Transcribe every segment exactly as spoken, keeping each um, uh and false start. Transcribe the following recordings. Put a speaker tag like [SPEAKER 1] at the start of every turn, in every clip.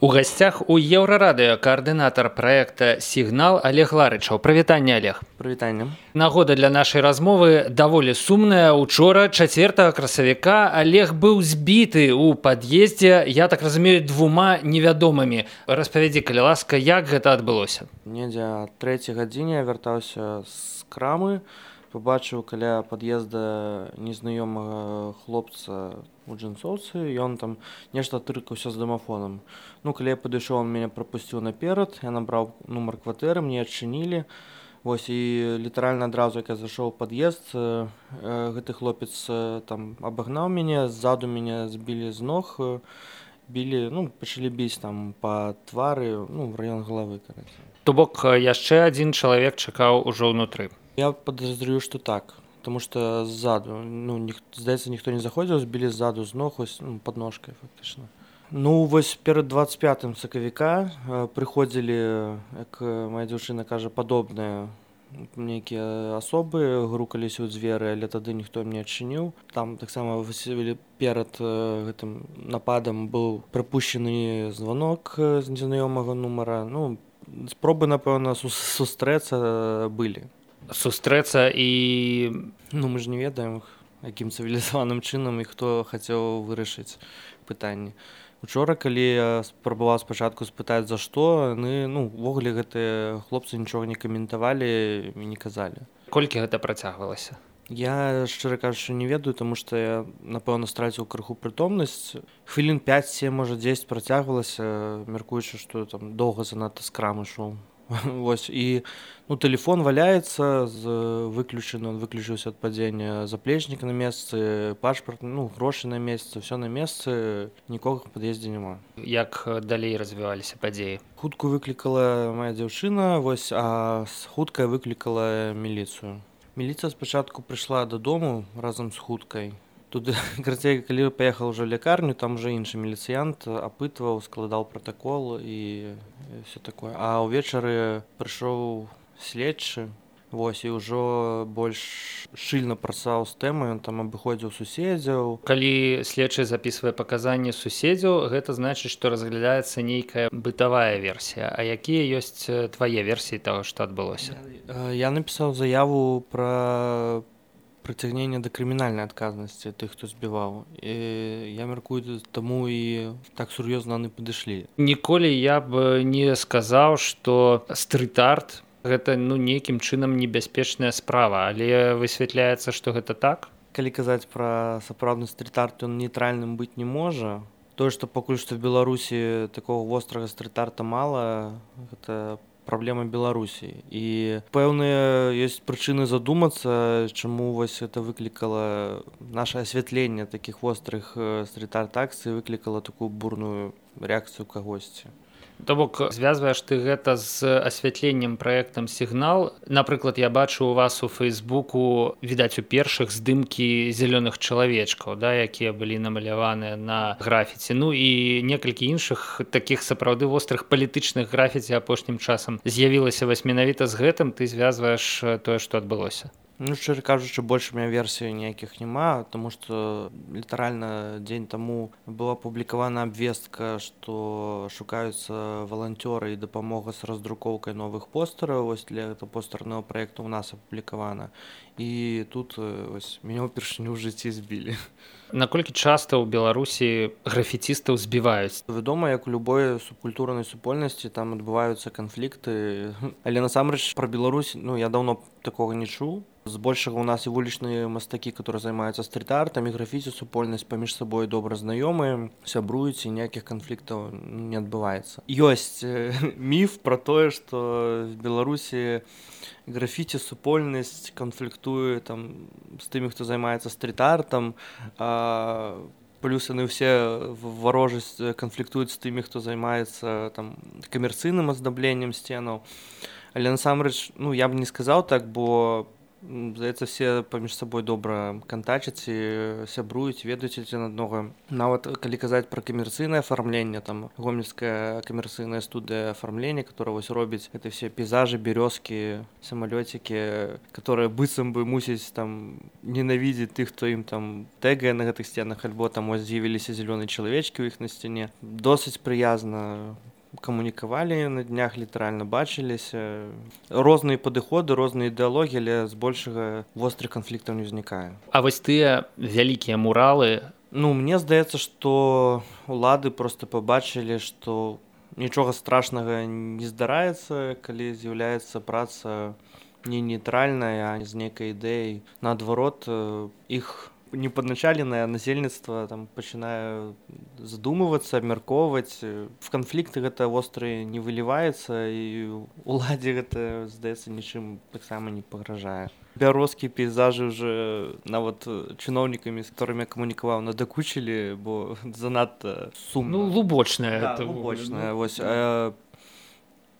[SPEAKER 1] У гасцях у Еўрарадыё каардынатар праекта «Сігнал» Олег Ларычаў. Прывітанне, Олег.
[SPEAKER 2] Прывітанне.
[SPEAKER 1] Нагода для нашай размовы даволі сумная. Учора, чацвёртага красавіка, Олег быў збіты ў пад'ездзе, я так разумею, двума невядомымі. Распавядзі, калі ласка, як гэта адбылося?
[SPEAKER 2] Недзе о трэцяй гадзіне я вяртаўся з крамы, побачыў каля пад'езда незнаёмага хлопца у джинсоўцы, ён там нешта тыркаўся з дамафонам. Ну, калі я падышоў, он мяне прапусціў наперад, я набраў нумар кватэры, мне адчынілі. Вось, і літаральна адразу, як я зайшоў у пад'езд, э, гэты хлопец э, там абагнаў мяне, ззаду мяне збілі з ног, э, білі, ну, пачалі біць там па твары, ну, в раён галавы, караце.
[SPEAKER 1] То бок, яшчэ адзін чалавек чакаў ужо ўнутры.
[SPEAKER 2] Я подозрюю, што так. Потому что сзаду, ну, ніх, здаецца, ніхто не заходзіў, збілі ззаду з ног, ось, ну, пад ножкай, фактычна. Ну, вось перад дваццаць пятым сакавіка э, прыходзілі, як моя дзяўчына кажа, падобныя нейкія асобы, грукаліся ў дзверы, але тады ніхто мне адчыніў. Там таксама перад э, гэтым нападам быў прапушчаны званок з незнаёмага нумара. Ну, спробы, напэўна, сустрэцца былі.
[SPEAKER 1] Сустрэцца і...
[SPEAKER 2] Ну, мы ж не ведаем, якім цывілізаваным чынам і хто хацеў вырашыць пытанне. Учора, калі я спрабаваў спачатку спытаць, за што, яны, ну, увогуле гэтыя хлопцы нічога не каментавалі і не казалі.
[SPEAKER 1] Колькі гэта працягвалася?
[SPEAKER 2] Я, шчыра кажучы, не ведаю, таму што я, напэўна, страціў крыху прытомнасць. Хвілін пяць-сем, можа, дзесяць працягвалася, мяркуючы, што там доўга занадта з крамы ішоў. Вось, і, ну, тэлефон валяецца, з выключаны, он выключыўся ад падзення, заплечнік на месцы, пашпарт, ну, грошы на месцы, все на месцы, нікога в пад'ездзе няма.
[SPEAKER 1] Як далей развіваліся падзеі?
[SPEAKER 2] Хутку выклікала моя дзяўчына, вось, а хуткая выклікала міліцыю. Міліцыя спачатку прыйшла дадому разам з хуткай. Тут, карацей, калі паехаў ужо ў лякарню, там уже іншы міліцыянт апытваў, складаў пратакол і все такое. А ўвечары прыйшоў следчы, вось, і ўжо больш шчыльна працаваў з тэмай, ён там абыходзіў суседзяў.
[SPEAKER 1] Калі следчы запісвае паказанні суседзяў, гэта значыць, што разглядаецца нейкая бытавая версія. А якія ёсць твае версіі таго, што адбылося?
[SPEAKER 2] Я напісаў заяву пра прыцягнення да крымінальнай адказнасці тых, хто збіваў. І я мяркую, таму і так сур'ёзна яны падышлі.
[SPEAKER 1] Ніколі я б не сказаў, што стрыт-арт гэта, ну, нейкім чынам небяспечная справа, але высвятляецца, што гэта так?
[SPEAKER 2] Калі казаць пра сапраўдны стрыт-арт, ён нейтральным быць не можа. Тое, што пакуль што в Беларусі такого вострага стрыт-арта мала, гэта праблема Беларусі. І пэўныя ёсць прычыны задумацца, чаму вось гэта выклікала наше асвятленне такіх вострых стрыт-арт-акцый, выклікала такую бурную рэакцыю кагосьці.
[SPEAKER 1] То бок, звязваеш ты гэта з асвятленнем праектам «Сігнал». Напрыклад, я бачу у вас у Фейсбуку, відаць, у першых здымкі зялёных чалавечкаў, да, якія былі намаляваныя на графіці. Ну і некалькі іншых такіх сапраўды вострых палітычных графіці апошнім часам з'явілася вось менавіта з гэтым, ты звязваеш тое, што адбылося.
[SPEAKER 2] Ну, шчыра кажучы, больш у мяне версій ніякіх няма, таму што літаральна дзень таму была апублікавана абвестка, што шукаюцца валанцёры і дапамога з раздрукоўкай новых постэраў. Вось для гэтага постэрнага праекту ў нас апублікавана. І тут вось мяне ўпершыню ў жыцці збілі.
[SPEAKER 1] Наколькі часта ў Беларусі графіцістаў збіваюць?
[SPEAKER 2] Вядома, як у любой субкультурнай супольнасці, там адбываюцца канфлікты. Але насамрэч пра Беларусь, ну, я даўно такога не чуў. Збольшага у нас і вулічныя мастакі, которые займаюцца стрит-артам, і графіці супольнасць паміж сабой добра знаёмыя, сябруюць, і ніякіх канфліктаў не адбываецца. Ёсць міф пра тое, што в Беларусі графіці супольнасць канфліктуе там з тымі, хто займаецца стрит-артам, а плюс яны ўсе варожасць канфліктуюць з тымі, хто займаецца там камерцыйным аздабленнем сценаў. Але насамрэч, ну, я б не сказаў так, бо Здаецца, все паміж сабой добра кантачаць і сябруюць, ведаюць адзін аднаго. Нават калі казаць пра камерцыйнае афармленне, там гомельская камерцыйная студыя афармлення, которая вось робіць гэта все пейзажы, бярозкі, самалёцікі, которые быццам бы мусіць там ненавідзець тых, хто ім там тэгае на гэтых сценах, альбо там ось з'явіліся зялёныя чалавечкі ў іх на сцяне. Досыць прыязна камунікавалі на днях, літаральна бачыліся. Розныя падыходы, розныя ідэалогіі, але збольшага вострых канфліктаў не ўзнікае.
[SPEAKER 1] А вось тыя вялікія муралы,
[SPEAKER 2] ну мне здаецца, што улады проста пабачылі, што нічога страшнага не здараецца, калі з'яўляецца праца не нейтральная, а з нейкай ідэяй. Наадварот, іх непадначаленае насельніцтва там пачынае задумвацца, абмяркоўваць. В канфлікты гэта востры не выліваецца, і уладзе гэта, здаецца, нічым таксама не пагражае. Бярозкі, пейзажы ўжо нават чыноўнікамі, з которымі я камунікаваў, надакучылі, бо занадта сумна.
[SPEAKER 1] Ну, лубочная.
[SPEAKER 2] Да, лубочная. Вось. А,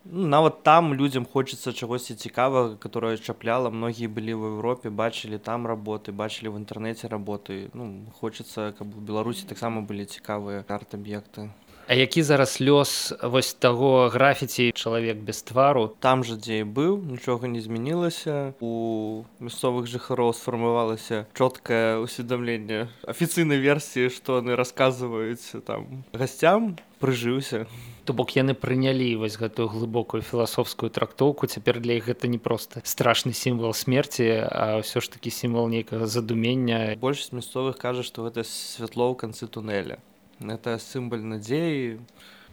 [SPEAKER 2] ну, нават там людзям хочацца чагосьці цікавага, которое чапляла. Многія былі в Европе, бачылі там работы, бачылі в інтэрнэце работы. Ну, хочацца, каб у Беларусі таксама былі цікавыя арт-аб'екты.
[SPEAKER 1] А які зараз лёс вось таго графіці «Чалавек без твару»?
[SPEAKER 2] Там жа, дзе і быў, нічога не змянілася. У мясцовых жыхароў сфармавалася чоткае ўсведамленне афіцыйнай версіі, што яны расказваюць там гасцям, прыжыўся.
[SPEAKER 1] То бок яны прынялі вось гэтую глыбокую філасофскую трактоўку. Цяпер для іх гэта не проста страшны сімвал смерці, а ўсё ж такі сімвал нейкага задумення.
[SPEAKER 2] Большасць мясцовых кажа, што гэта святло ў канцы тунэля. Гэта сімвал надзеі.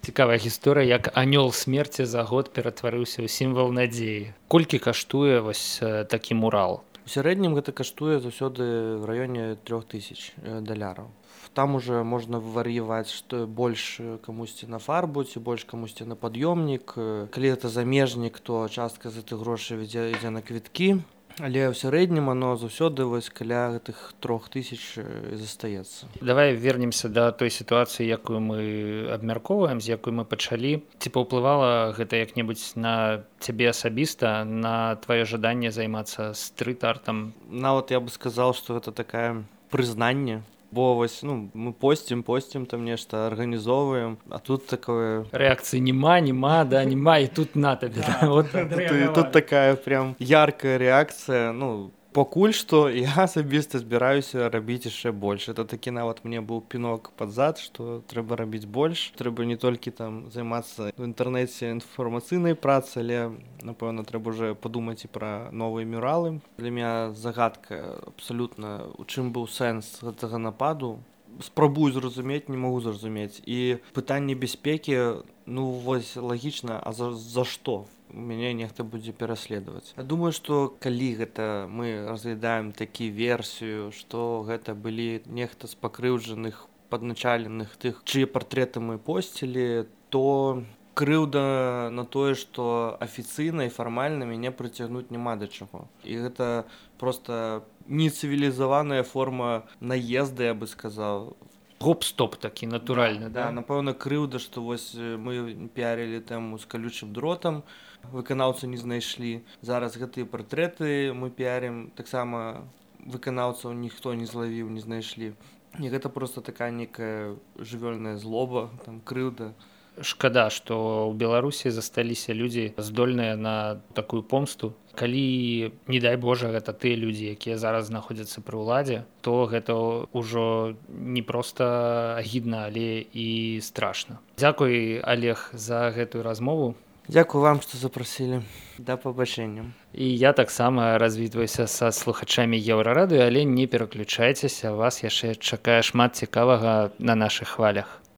[SPEAKER 1] Цікавая гісторыя, як анёл смерці за год ператварыўся ў сімвал надзеі. Колькі каштуе вось такі мурал?
[SPEAKER 2] У сярэднім гэта каштуе заўсёды в раёне трох тысяч даляраў. Там уже можна вар'яваць, што больш камусьці на фарбу, ці больш камусьці на пад'ёмнік. Калі гэта замежнік, то частка з гэтых грошай ідзе, ідзе на квіткі. Але ў сярэднім оно заўсёды вось каля гэтых трох тысяч застаецца.
[SPEAKER 1] Давай вернемся да той сітуацыі, якую мы абмяркоўваем, з якой мы пачалі. Ці паўплывала гэта як-небудзь на цябе асабіста, на тваё жаданне займацца стрыт-артам?
[SPEAKER 2] Нават я бы сказаў, што гэта такае прызнанне. Бо вось, ну, мы посцім, посцім там нешта, арганізоўваем, а тут такое...
[SPEAKER 1] Рэакцыі няма, няма, да, няма, і тут на табе.
[SPEAKER 2] Да, вот, тут, тут такая прям яркая рэакцыя, ну, пакуль што я асабіста збіраюся рабіць яшчэ больш. Это такі нават мне быў пінок пад зад, што трэба рабіць больш. Трэба не толькі там займацца в інтэрнэце інфармацыйнай працай, але, напэўна, трэба ўжо падумаць і пра новыя мюралы. Для мяне загадка абсалютна, у чым быў сэнс гэтага нападу. Спрабую зразумець, не магу зразумець. І пытанне бяспекі, ну, вось лагічна, а за, за што? Мяне нехта будзе пераследаваць. Я думаю, што калі гэта мы разглядаем такі версію, што гэта былі нехта з пакрыўджаных, падначаленых тых, чые партрэты мы посцілі, то крыўда на тое, што афіцыйна і фармальна мяне прыцягнуць няма да чаго. І гэта проста нецывілізаваная форма наезда, я бы сказаў.
[SPEAKER 1] Гоп-стоп такі натуральны,
[SPEAKER 2] да? Да, напэўна, крыўда, што вось мы піарылі тэму з калючым дротам, выканаўцу не знайшлі. Зараз гэтыя партрэты мы піарім, таксама выканаўцаў ніхто не злавіў, не знайшлі. І гэта проста такая некая жывёльная злоба, там, крыўда.
[SPEAKER 1] Шкада, што ў Беларусі засталіся людзі здольныя на такую помсту. Калі, не дай Божа, гэта тыя людзі, якія зараз знаходзяцца пры ўладзе, то гэта ўжо не проста агідна, але і страшна. Дзякуй, Олег, за гэтую размову.
[SPEAKER 2] Дзякуй вам, што запрасілі. Да пабачэння.
[SPEAKER 1] І я таксама развітваюся са слухачамі Еўрарадыё, але не пераключайцеся, вас яшчэ чакае шмат цікавага на нашых хвалях.